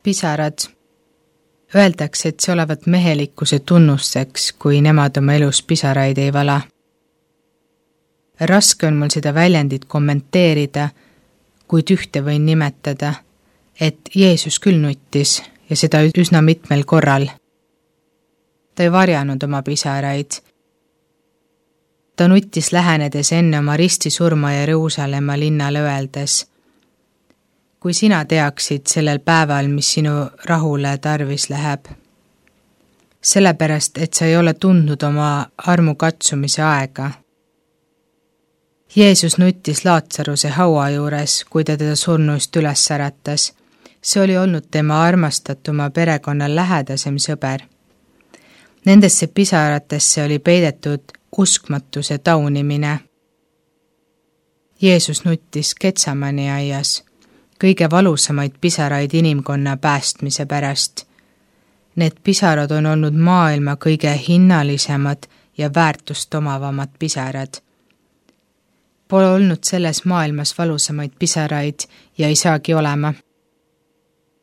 Pisarad. Öeldakse, et see olevat mehelikkuse tunnusteks, kui nemad oma elus pisaraid ei vala. Raske on mul seda väljendit kommenteerida, kuid ühte võin nimetada, et Jeesus küll nuttis ja seda üsna mitmel korral. Ta ei varjanud oma pisaraid. Ta nuttis lähenedes enne oma ristisurma Jeruusalemma linnale öeldes: kui sina teaksid sellel päeval, mis sinu rahule tarvis läheb. Sellepärast, et sa ei ole tundnud oma armu katsumise aega. Jeesus nuttis Laatsaruse haua juures, kui ta teda surnuist üles äratas. See oli olnud tema armastatuma perekonna lähedasem sõber. Nendesse pisaratesse oli peidetud uskmatuse taunimine. Jeesus nuttis Getsamani aias, kõige valusamaid pisaraid inimkonna päästmise pärast. Need pisarad on olnud maailma kõige hinnalisemad ja väärtust omavamad pisarad. Pole olnud selles maailmas valusamaid pisaraid ja ei saagi olema.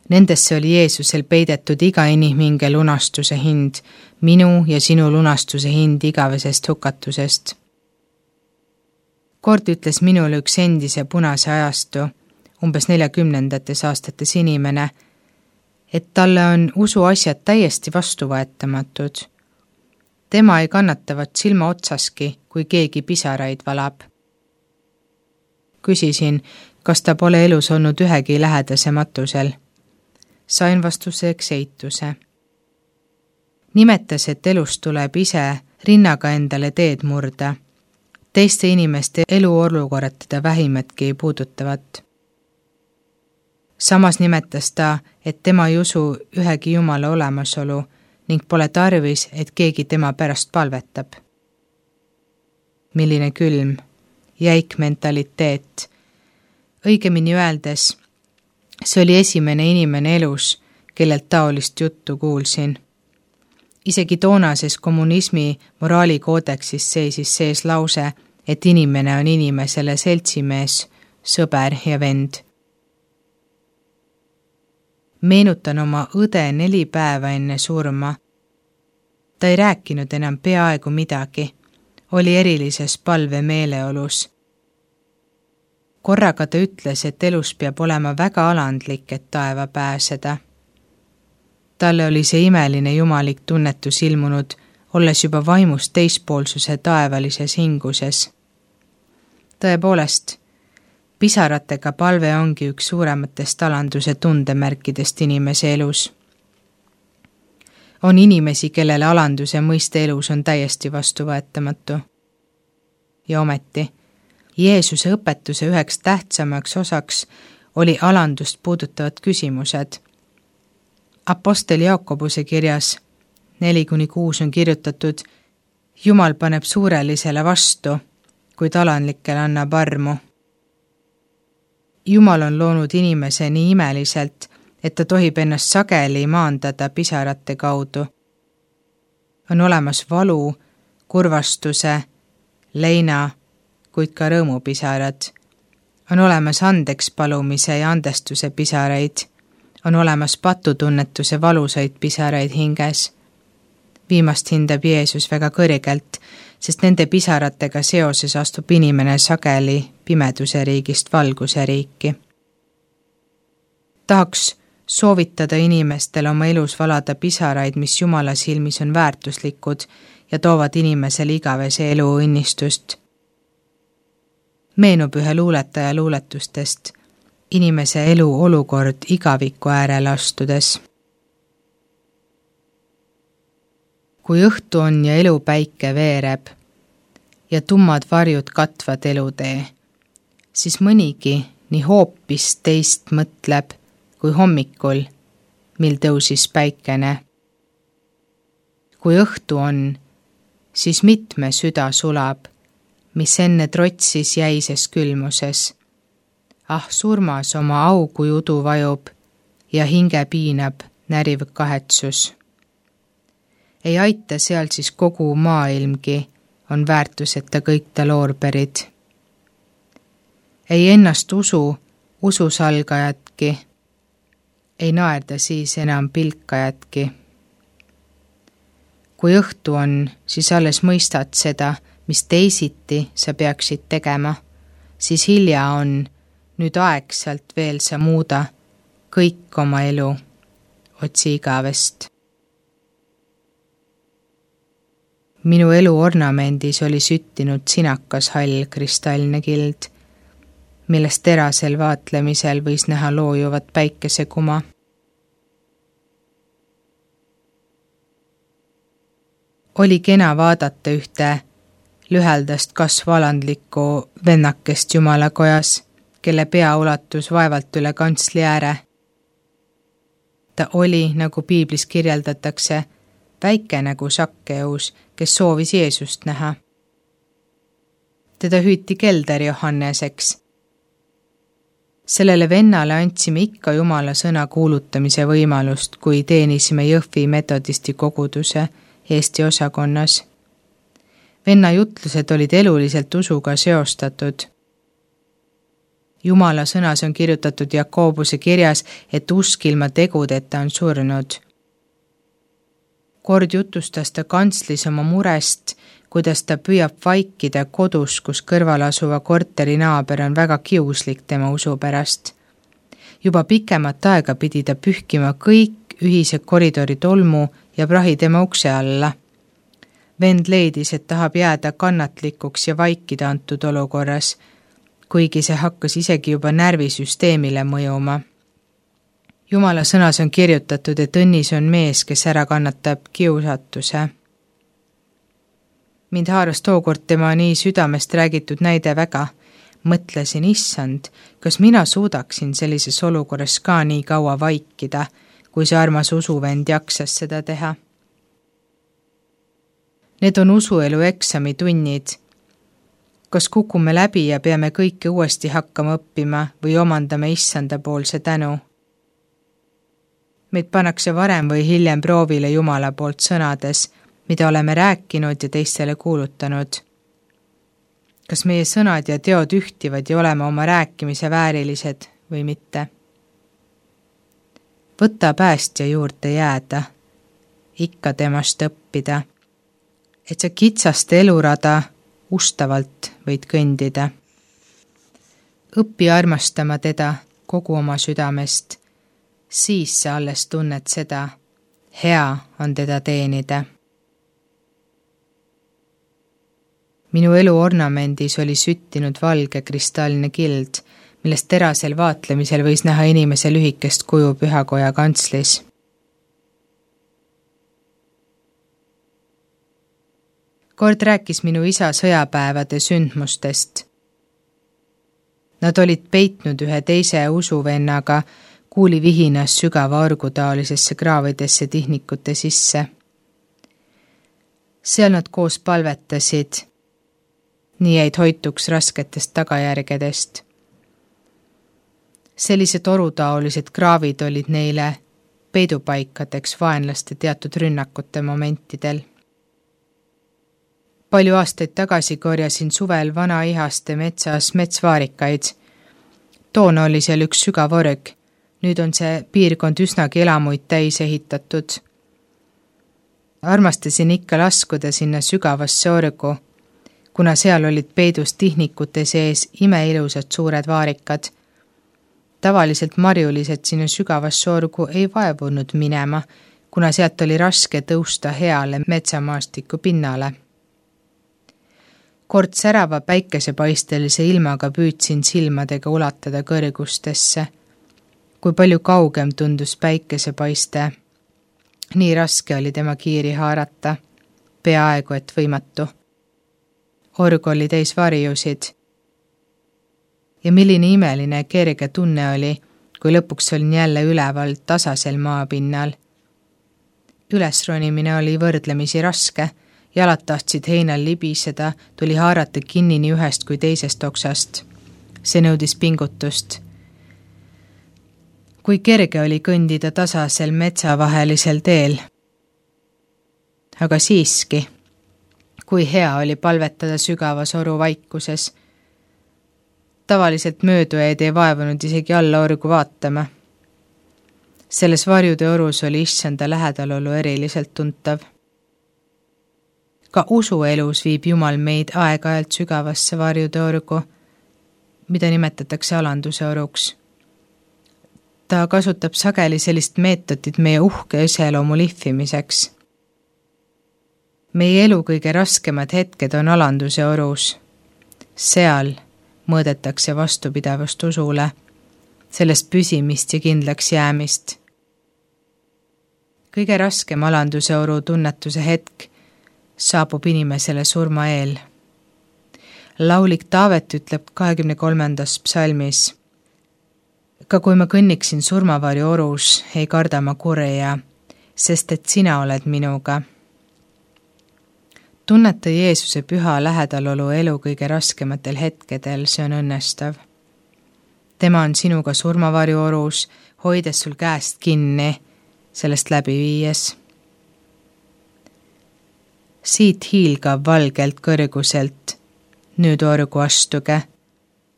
Nendesse oli Jeesusel peidetud iga inimhinge lunastuse hind, minu ja sinu lunastuse hind igavesest hukatusest. Kord ütles minule üks endise punase ajastu, umbes 40. aastates inimene, et talle on usuasjad täiesti vastuvõetamatud. Tema ei kannatavat silma otsaski, kui keegi pisaraid valab. Küsisin, kas ta pole elus olnud ühegi lähedase matusel. Sain vastuseks eituse. Nimetas, et elus tuleb ise rinnaga endale teed murda. Teiste inimeste eluolukorrad teda vähimatki ei puudutavat. Samas nimetas ta, et tema ei usu ühegi Jumala olemasolu ning pole tarvis, et keegi tema pärast palvetab. Milline külm, jäik mentaliteet. Õigemini öeldes, see oli esimene inimene elus, kellelt taolist juttu kuulsin. Isegi toonases kommunismi moraalikoodeksis seisis sees lause, et inimene on inimesele seltsimees, sõber ja vend. Meenutan oma õde 4 päeva enne surma. Ta ei rääkinud enam peaaegu midagi, oli erilises palvemeeleolus. Korraga ta ütles, et elus peab olema väga alandlik, et taeva pääseda. Talle oli see imeline jumalik tunnetus ilmunud, olles juba vaimust teispoolsuse taevalises hinguses. Tõepoolest, pisaratega palve ongi üks suurematest alanduse tundemärkidest inimese elus. On inimesi, kellele alanduse mõiste elus on täiesti vastuvõetamatu. Ja ometi, Jeesuse õpetuse üheks tähtsamaks osaks oli alandust puudutavad küsimused. Apostel Jaakobuse kirjas 4-6 on kirjutatud: Jumal paneb suurelisele vastu, kuid alandlikele annab armu. Jumal on loonud inimese nii imeliselt, et ta tohib ennast sageli maandada pisarate kaudu. On olemas valu, kurvastuse, leina, kuid ka rõõmupisarad. On olemas andeks palumise ja andestuse pisaraid. On olemas patutunnetuse valusaid pisaraid hinges. Viimast hindab Jeesus väga kõrgelt, sest nende pisaratega seoses astub inimene sageli pimeduse riigist valguse riiki. Tahaks soovitada inimestel oma elus valada pisaraid, mis Jumala silmis on väärtuslikud ja toovad inimesele igavese elu õnnistust. Meenub ühe luuletaja luuletustest, inimese elu olukord igaviku äärele astudes. Kui õhtu on ja elupäike veereb ja tummad varjud katvad elutee, siis mõnigi nii hoopis teist mõtleb kui hommikul, mil tõusis päikene. Kui õhtu on, siis mitme süda sulab, mis enne trotsis jäises külmuses. Surmas oma augu judu vajub ja hinge piinab näriv kahetsus. Ei aita seal siis kogu maailmgi, on väärtuseta kõik ta loorberid. Ei ennast ususalgajatki, ei naerda siis enam pilkajatki. Kui õhtu on, siis alles mõistad seda, mis teisiti sa peaksid tegema, siis hilja on, nüüd aegselt veel sa muuda kõik oma elu, otsi igavest. Minu elu ornamendis oli süttinud sinakas hall kristallne kild, millest terasel vaatlemisel võis näha loojuvat päikesekuma. Oli kena vaadata ühte lüheldast kasvalandlikku vennakest jumalakojas, kelle pea ulatus vaevalt üle kantsli ääre. Ta oli, nagu piiblis kirjeldatakse, väike nagu Sakkeus, kes soovis Jeesust näha. Teda hüüti Kelder Johanneseks. Sellele vennale andsime ikka Jumala sõna kuulutamise võimalust, kui teenisime Jõhvi metodisti koguduse Eesti osakonnas. Venna jutlused olid eluliselt usuga seostatud. Jumala sõnas on kirjutatud Jakobuse kirjas, et usk ilma tegudeta on surnud. Kord jutustas ta kantslis oma murest, kuidas ta püüab vaikida kodus, kus kõrval asuva korteri naaber on väga kiuslik tema usu pärast. Juba pikemat aega pidi ta pühkima kõik ühise koridori tolmu ja prahi tema ukse alla. Vend leidis, et tahab jääda kannatlikuks ja vaikida antud olukorras, kuigi see hakkas isegi juba närvisüsteemile mõjuma. Jumala sõnas on kirjutatud, et õnnis on mees, kes ära kannatab kiusatuse. Mind haaras tookord tema nii südamest räägitud näide väga. Mõtlesin, issand, kas mina suudaksin sellises olukorras ka nii kaua vaikida, kui see armas usuvend jaksas seda teha. Need on usuelu eksamitunnid. Kas kukume läbi ja peame kõike uuesti hakkama õppima või omandame issanda poolse tänu? Meid pannakse varem või hiljem proovile Jumala poolt sõnades, mida oleme rääkinud ja teistele kuulutanud. Kas meie sõnad ja teod ühtivad ja oleme oma rääkimise väärilised või mitte? Võta päästja juurde jääda, ikka temast õppida, et sa kitsast elurada ustavalt võid kõndida. Õppi armastama teda kogu oma südamest, siis sa alles tunned seda, hea on teda teenida. Minu elu ornamendis oli süttinud valge kristallne kild, millest terasel vaatlemisel võis näha inimese lühikest kuju pühakoja kantslis. Kord rääkis minu isa sõjapäevade sündmustest. Nad olid peitnud ühe teise usuvennaga kuulivihinas sügava argutaolisesse kraavidesse tihnikute sisse. Seal nad koos palvetasid, nii jäid hoituks rasketest tagajärgedest. Sellised torutaolised kraavid olid neile peidupaikadeks vaenlaste teatud rünnakute momentidel. Palju aastaid tagasi korjasin suvel vanaihaste metsas metsvaarikaid. Toona oli seal üks sügav org. Nüüd on see piirkond üsnagi elamuid täis ehitatud. Armastasin ikka laskuda sinna sügavasse orgu, kuna seal olid peidus tihnikute sees imeilusad suured vaarikad. Tavaliselt marjulised sinna sügavasse orgu ei vaevunud minema, kuna sealt oli raske tõusta heale metsamaastiku pinnale. Kord särava päikesepaistelise ilmaga püüdsin silmadega ulatada kõrgustesse. Kui palju kaugem tundus päikesepaiste, nii raske oli tema kiiri haarata, peaaegu et võimatu. Org oli täis varjusid. Ja milline imeline kerge tunne oli, kui lõpuks olin jälle üleval tasasel maapinnal. Ülesronimine oli võrdlemisi raske, jalad tahtsid heinal libiseda, tuli haarata kinni nii ühest kui teisest oksast. See nõudis pingutust. Kui kerge oli kõndida tasasel metsavahelisel teel. Aga siiski, kui hea oli palvetada sügavas oru vaikuses. Tavaliselt möödujaid ei vaevunud isegi alla orgu vaatama. Selles varjude orus oli issanda lähedalolu eriliselt tuntav. Ka usuelus viib Jumal meid aeg-ajalt sügavasse varjude orgu, mida nimetatakse alanduse oruks. Ta kasutab sageli sellist meetodit meie uhke iseloomu lihvimiseks. Meie elu kõige raskemad hetked on alanduse orus. Seal mõõdetakse vastupidavust usule, sellest püsimist ja kindlaks jäämist. Kõige raskem alanduse oru tunnetuse hetk saabub inimesele surma eel. Laulik Taavet ütleb 23. psalmis: Ka kui ma kõnniksin surmavarju orus, ei karda ma kurja, sest et sina oled minuga. Tunneta Jeesuse püha lähedalolu elu kõige raskematel hetkedel, see on õnnestav. Tema on sinuga surmavarju orus, hoides sul käest kinni, sellest läbi viies. Siit hiilgav valgelt kõrguselt, nüüd orgu astuge,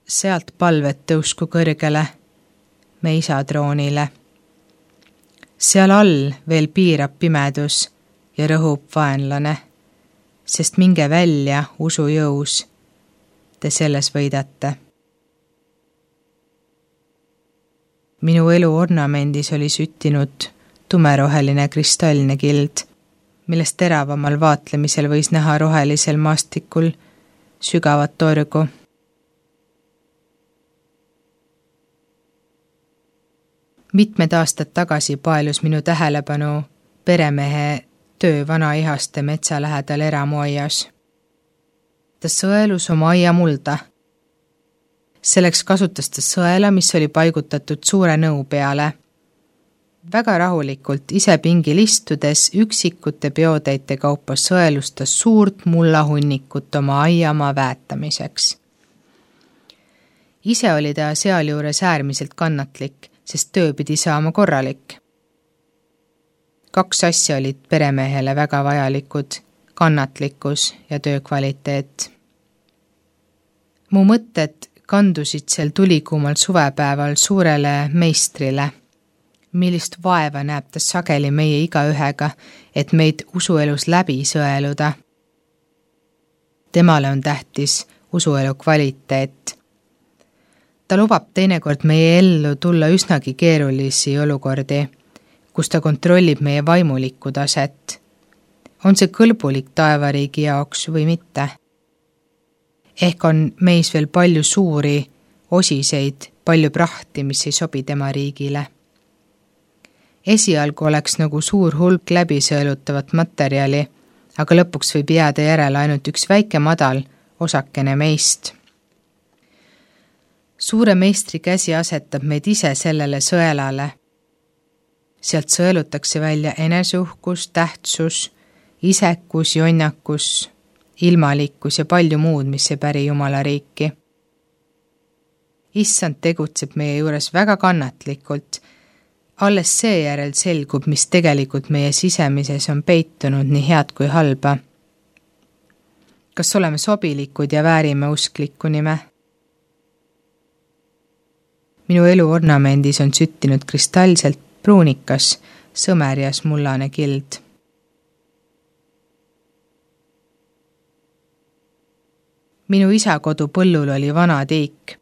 sealt palvet tõusku kõrgele, me isa troonile. Seal all veel piirab pimedus ja rõhub vaenlane, sest minge välja usu jõus, te selles võidate. Minu elu ornamendis oli süttinud tumeroheline kristallne kild, millest teravamal vaatlemisel võis näha rohelisel maastikul sügavat orgu. Mitmed aastad tagasi paelus minu tähelepanu peremehe töö vanaihaste metsa lähedal eramuaias. Ta sõelus oma aia mulda. Selleks kasutas ta sõela, mis oli paigutatud suure nõu peale. Väga rahulikult ise pingil istudes üksikute peotäite kaupa sõelus ta suurt mullahunnikut oma aiamaa väetamiseks. Ise oli ta sealjuures äärmiselt kannatlik, sest töö pidi saama korralik. 2 asja olid peremehele väga vajalikud, kannatlikkus ja töö kvaliteet. Mu mõtted kandusid sel tulikuumal suvepäeval suurele meistrile, millist vaeva näeb ta sageli meie igaühega, et meid usuelus läbi sõeluda. Temale on tähtis usuelu kvaliteet. Ta lubab teinekord meie ellu tulla üsnagi keerulisi olukordi, kus ta kontrollib meie vaimulikku taset. On see kõlbulik taevariigi jaoks või mitte? Ehk on meis veel palju suuri osiseid, palju prahti, mis ei sobi tema riigile. Esialgu oleks nagu suur hulk läbisõelutavat materjali, aga lõpuks võib jääda järele ainult üks väike madal osakene meist. Suure meistri käsi asetab meid ise sellele sõelale. Sealt sõelutakse välja eneseuhkus, tähtsus, isekus, jonnakus, ilmalikkus ja palju muud, mis ei päri Jumala riiki. Issand tegutseb meie juures väga kannatlikult. Alles seejärel selgub, mis tegelikult meie sisemises on peitunud nii head kui halba. Kas oleme sobilikud ja väärime usklikku nime? Minu elu ornamendis on süttinud kristallselt pruunikas, sõmerjas mullane kild. Minu isa kodu põllul oli vana tiik.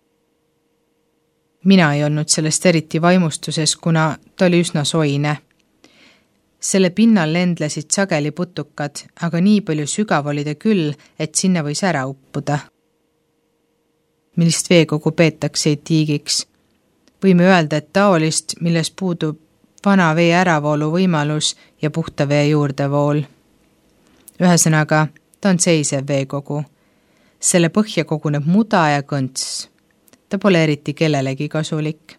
Mina ei olnud sellest eriti vaimustuses, kuna ta oli üsna soine. Selle pinnal lendlesid sageli putukad, aga nii palju sügav oli ta küll, et sinna võis ära uppuda. Millist veekogu peetakse tiigiks? Võime öelda, et taolist, milles puudub vana vee äravoolu võimalus ja puhta vee juurdevool. Ühesõnaga, ta on seisev veekogu. Selle põhja koguneb muda ja kõnts. Ta pole eriti kellelegi kasulik.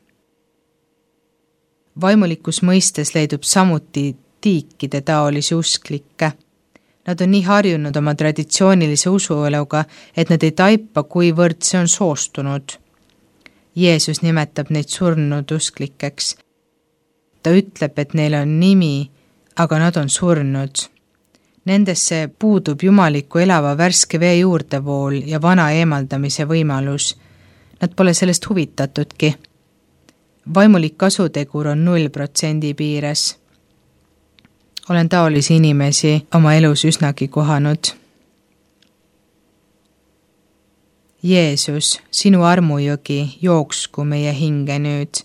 Vaimulikus mõistes leidub samuti tiikide taolisi usklikke. Nad on nii harjunud oma traditsioonilise usueluga, et nad ei taipa, kuivõrd see on soostunud. Jeesus nimetab neid surnud usklikeks. Ta ütleb, et neil on nimi, aga nad on surnud. Nendesse puudub jumaliku elava värske vee juurdevool ja vana eemaldamise võimalus. Nad pole sellest huvitatudki. Vaimulik kasutegur on 0% piires. Olen taolisi inimesi oma elus üsnagi kohanud. Jeesus, sinu armujõgi jooksku meie hinge nüüd,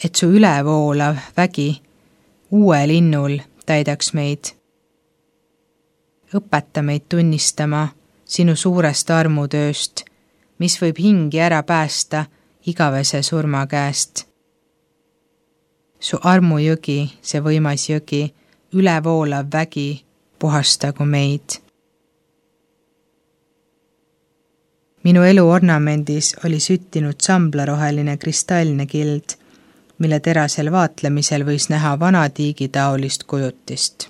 et su ülevoolav vägi uue linnul täidaks meid. Õpeta meid tunnistama sinu suurest armutööst, mis võib hingi ära päästa igavese surma käest. Su armujõgi, see võimas jõgi, ülevoolav vägi, puhastagu meid. Minu elu ornamendis oli süttinud samblaroheline kristallne kild, mille terasel vaatlemisel võis näha vana tiigitaolist kujutist.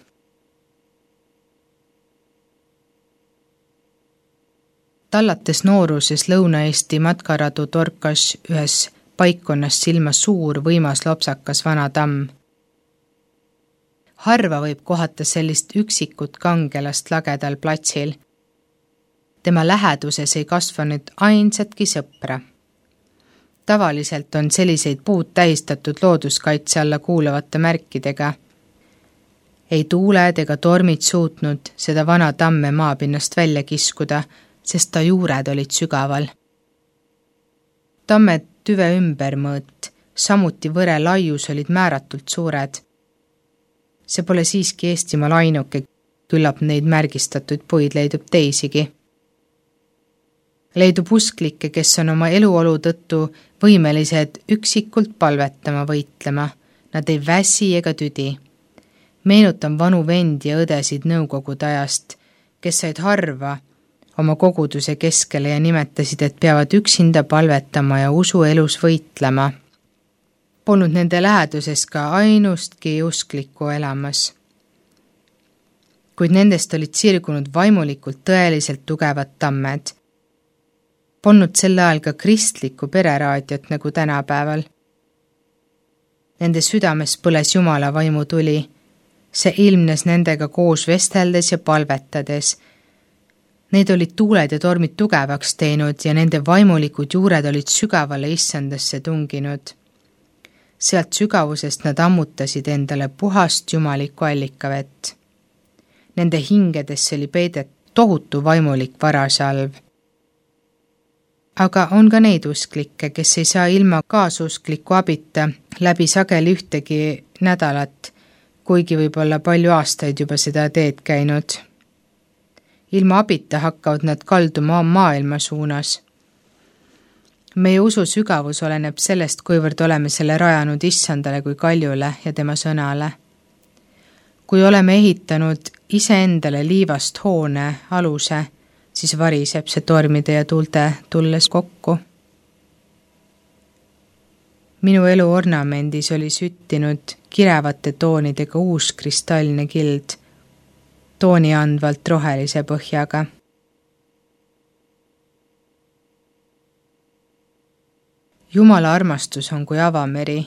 Tallates nooruses Lõuna-Eesti matkaradu torkas ühes paikkonnast silma suur võimas lopsakas vana tamm. Harva võib kohata sellist üksikut kangelast lagedal platsil. Tema läheduses ei kasvanud ainsatki sõpra. Tavaliselt on selliseid puud tähistatud looduskaitse alla kuuluvate märkidega. Ei tuuled ega tormid suutnud seda vana tamme maapinnast välja kiskuda, sest ta juured olid sügaval. Tamme tüve ümbermõõt, samuti võre laius olid määratult suured. See pole siiski Eestimaal ainuke, küllap neid märgistatud puid leidub teisigi. Leidub usklikke, kes on oma eluolu tõttu võimelised üksikult palvetama võitlema. Nad ei väsi ega tüdi. Meenutan vanu vendi ja õdesid nõukogude ajast, kes said harva oma koguduse keskele ja nimetasid, et peavad üksinda palvetama ja usu elus võitlema. Polnud nende läheduses ka ainustki usklikku elamas. Kuid nendest olid sirgunud vaimulikult tõeliselt tugevad tammed. Polnud sel ajal ka kristlikku pereraadiot nagu tänapäeval. Nende südames põles Jumala vaimu tuli. See ilmnes nendega koos vesteldes ja palvetades. Need olid tuuled ja tormid tugevaks teinud ja nende vaimulikud juured olid sügavale issandasse tunginud. Sealt sügavusest nad ammutasid endale puhast jumalikku allikavett. Nende hingedesse oli peidet tohutu vaimulik varasalv. Aga on ka neid usklikke, kes ei saa ilma kaasuskliku abita läbi sageli ühtegi nädalat, kuigi võib-olla palju aastaid juba seda teed käinud. Ilma abita hakkavad nad kalduma maailma suunas. Meie usu sügavus oleneb sellest, kuivõrd oleme selle rajanud issandale kui kaljule ja tema sõnale. Kui oleme ehitanud iseendale liivast hoone aluse, siis variseb see tormide ja tuulte tulles kokku. Minu elu ornamendis oli süttinud kirevate toonidega uus kristallne kild, tooni andvalt rohelise põhjaga. Jumala armastus on kui avameri,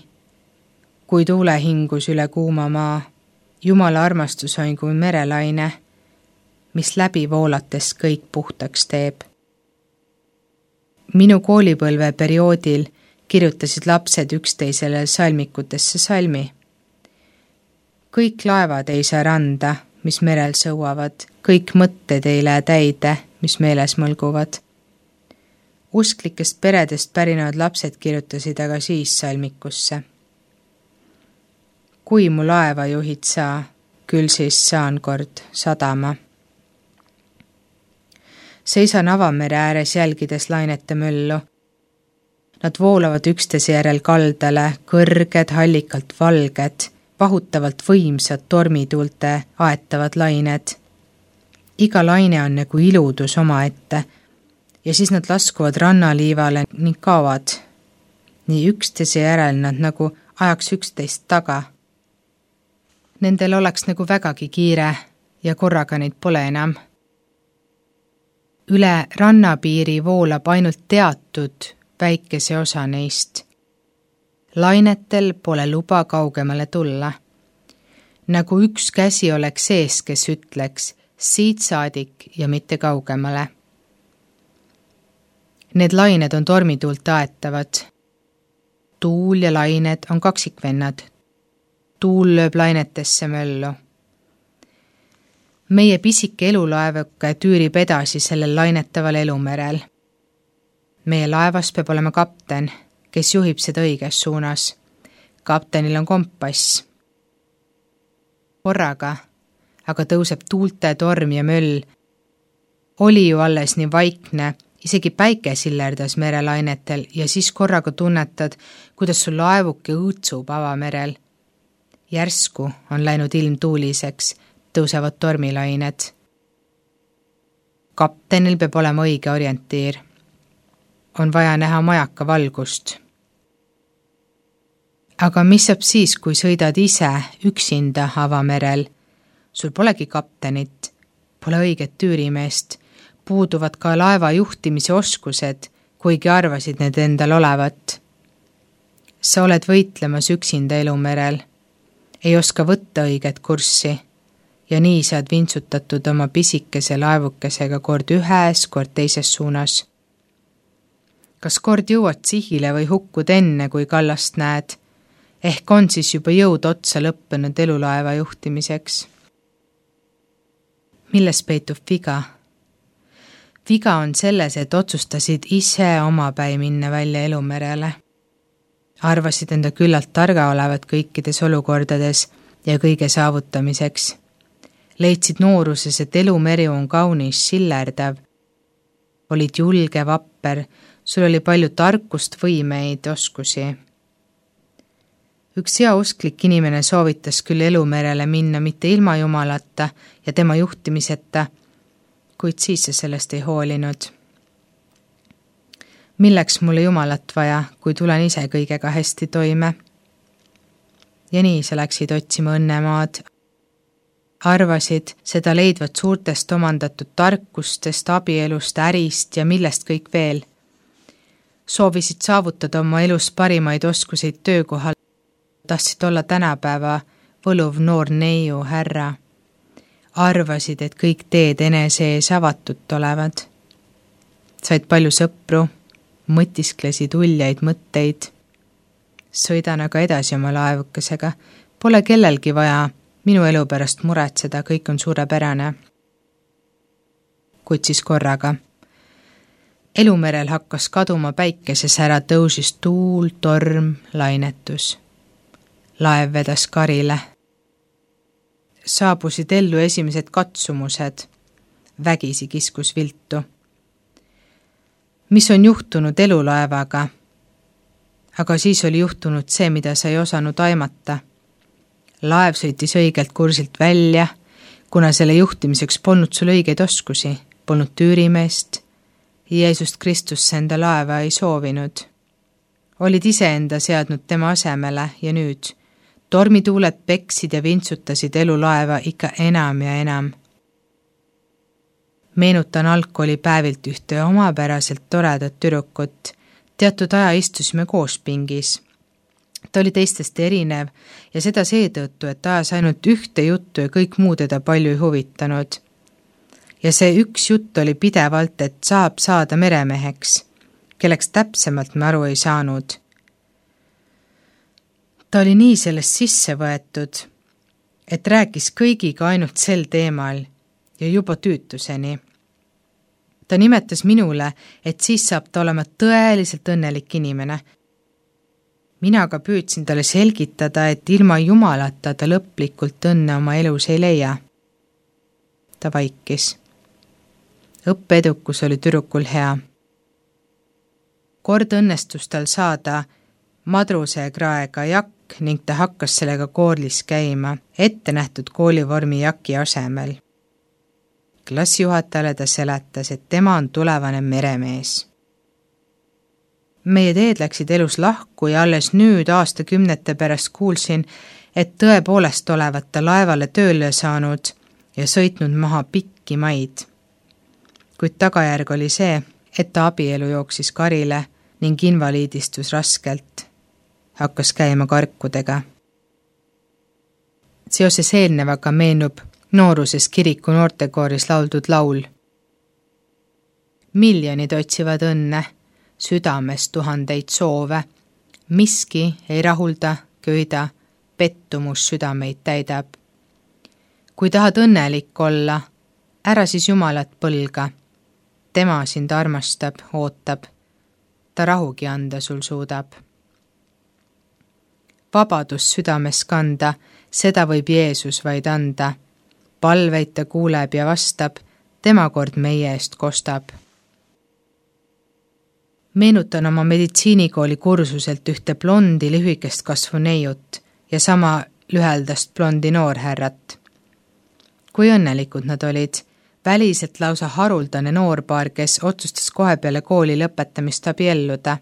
kui tuulehingus üle kuuma maa. Jumala armastus on kui merelaine, mis läbi voolates kõik puhtaks teeb. Minu koolipõlve perioodil kirjutasid lapsed üksteisele salmikutesse salmi. Kõik laevad ei saa randa, mis merel sõuavad, kõik mõtted ei lähe täide, mis meeles mõlguvad. Usklikest peredest pärinevad lapsed kirjutasid aga siis salmikusse. Kui mu laeva juhid saa, küll siis saan kord sadama. Seisan avamere ääres jälgides lainete möllu. Nad voolavad üksteise järel kaldale, kõrged, hallikalt valged, vahutavalt võimsad tormituulte aetavad lained. Iga laine on nagu iludus omaette ja siis nad laskuvad rannaliivale ning kaovad. Nii üksteise järel nad nagu ajaks üksteist taga. Nendel oleks nagu vägagi kiire ja korraga neid pole enam. Üle rannapiiri voolab ainult teatud väikese osa neist. Lainetel pole luba kaugemale tulla. Nagu üks käsi oleks sees, kes ütleks siit saadik ja mitte kaugemale. Need lained on tormituult aetavad. tuul ja lained on kaksikvennad. Tuul lööb lainetesse möllu. Meie pisike elulaevuke tüürib edasi sellel lainetaval elumerel. Meie laevas peab olema kapten, kes juhib seda õiges suunas. Kaptenil on kompass. Korraga aga tõuseb tuulte torm ja möll. Oli ju alles nii vaikne, isegi päike sillerdas merelainetel ja siis korraga tunnetad, kuidas sul laevuke õõtsub avamerel. Järsku on läinud ilm tuuliseks, tõusevad tormilained. Kaptenil peab olema õige orientiir. On vaja näha majaka valgust. Aga mis saab siis, kui sõidad ise üksinda avamerel? Sul polegi kaptenit, pole õiget tüürimeest, puuduvad ka laeva juhtimise oskused, kuigi arvasid need endal olevat. Sa oled võitlemas üksinda elumerel, ei oska võtta õiget kurssi ja nii saad vintsutatud oma pisikese laevukesega kord ühes, kord teises suunas. Kas kord jõuad sihile või hukkud enne, kui kallast näed? Ehk on siis juba jõud otsa lõppenud elulaeva juhtimiseks. Milles peitub viga? Viga on selles, et otsustasid ise omapäi minna välja elumerele. Arvasid enda küllalt targa olevat kõikides olukordades ja kõige saavutamiseks. Leidsid nooruses, et elumeri on kaunis, sillerdav. Olid julge, vapper, sul oli palju tarkust, võimeid, oskusi. Üks heausklik inimene soovitas küll elumerele minna mitte ilma Jumalata ja tema juhtimiseta, kuid siis see sellest ei hoolinud. Milleks mulle Jumalat vaja, kui tulen ise kõigega hästi toime? Ja nii sa läksid otsima õnnemaad. Arvasid seda leidvat suurtest omandatud tarkustest, abielust, ärist ja millest kõik veel. Soovisid saavutada oma elus parimaid oskuseid töökohal. Tahtsid olla tänapäeva võluv noor neiu härra. Arvasid, et kõik teed enese ees avatud olevad. Said palju sõpru, mõtisklesid uljaid mõtteid. Sõidan aga edasi oma laevukesega. Pole kellelgi vaja minu elu pärast muretseda, kõik on suurepärane. Kuid siis korraga. Elumerel hakkas kaduma päikeses ära, tõusis tuul, torm, lainetus. Laev vedas karile. Saabusid ellu esimesed katsumused. Vägisi kiskus viltu. Mis on juhtunud elulaevaga? Aga siis oli juhtunud see, mida sa ei osanud aimata. Laev sõitis õigelt kursilt välja, kuna selle juhtimiseks polnud sul õigeid oskusi, polnud tüürimeest. Jeesust Kristusse enda laeva ei soovinud. Olid iseenda seadnud tema asemele ja nüüd tormituuled peksid ja vintsutasid elulaeva ikka enam ja enam. Meenutan algkoolipäevilt ühte omapäraselt toredat tüdrukut. Teatud aja istusime koos pingis. Ta oli teistest erinev ja seda seetõttu, et ta ajas ainult ühte juttu ja kõik muu teda palju ei huvitanud. Ja see üks jutt oli pidevalt, et saab saada meremeheks, kelleks täpsemalt me aru ei saanud. Ta oli nii sellest sisse võetud, et rääkis kõigiga ainult sel teemal ja juba tüütuseni. Ta nimetas minule, et siis saab ta olema tõeliselt õnnelik inimene. Mina aga püüdsin talle selgitada, et ilma Jumalata ta lõplikult õnne oma elus ei leia. Ta vaikis. Õppeedukus oli tüdrukul hea. Kord õnnestus tal saada madruse kraega jakk ning ta hakkas sellega koolis käima, ette nähtud koolivormi jaki asemel. Klassijuhatajale ta seletas, et tema on tulevane meremees. Meie teed läksid elus lahku ja alles nüüd aastakümnete pärast kuulsin, et tõepoolest olevat ta laevale tööle saanud ja sõitnud maha pikki maid. Kuid tagajärg oli see, et ta abielu jooksis karile ning invaliidistus raskelt. Hakkas käima karkudega. Seoses eelnevaga meenub nooruses kiriku noortekooris lauldud laul. Miljonid otsivad õnne, südames tuhandeid soove, Miski ei rahulda, köida, pettumus südameid täidab. Kui tahad õnnelik olla, ära siis Jumalat põlga. Tema sind armastab, ootab. Ta rahugi anda sul suudab. Vabadus südames kanda, seda võib Jeesus vaid anda. Palveid ta kuuleb ja vastab, tema kord meie eest kostab. Meenutan oma meditsiinikooli kursuselt ühte blondi lühikest kasvu neiut ja sama lüheldast blondi noorhärrat. Kui õnnelikud nad olid, väliselt lausa haruldane noorpaar, kes otsustas kohe peale kooli lõpetamist abielluda.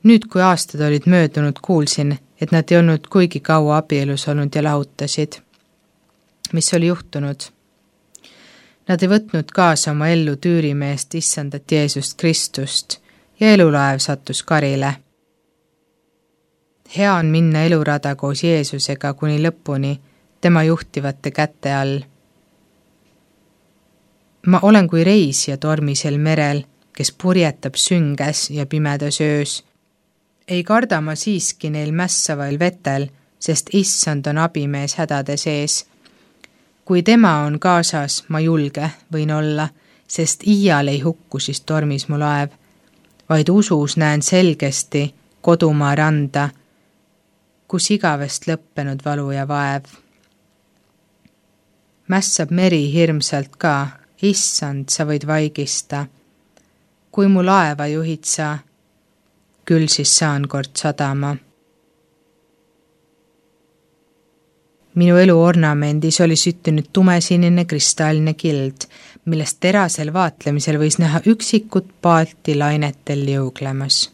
Nüüd, kui aastad olid möödunud, kuulsin, et nad ei olnud kuigi kaua abielus olnud ja lahutasid. Mis oli juhtunud? Nad ei võtnud kaasa oma ellu tüürimeest issandat Jeesust Kristust ja elulaev sattus karile. Hea on minna elurada koos Jeesusega kuni lõpuni, tema juhtivate käte all. Ma olen kui reisija tormisel merel, kes purjetab sünges ja pimedas öös. Ei karda ma siiski neil mässavail vetel, sest issand on abimees hädade sees. Kui tema on kaasas, ma julge võin olla, sest iial ei hukku siis tormis mu laev, vaid usus näen selgesti kodumaa randa, kus igavest lõppenud valu ja vaev. Mässab meri hirmsalt ka, issand, sa võid vaigista. Kui mu laeva juhid sa, küll siis saan kord sadama. Minu elu ornamendis oli süttinud tumesinine kristalline kild, millest terasel vaatlemisel võis näha üksikut paati lainetel liuglemas.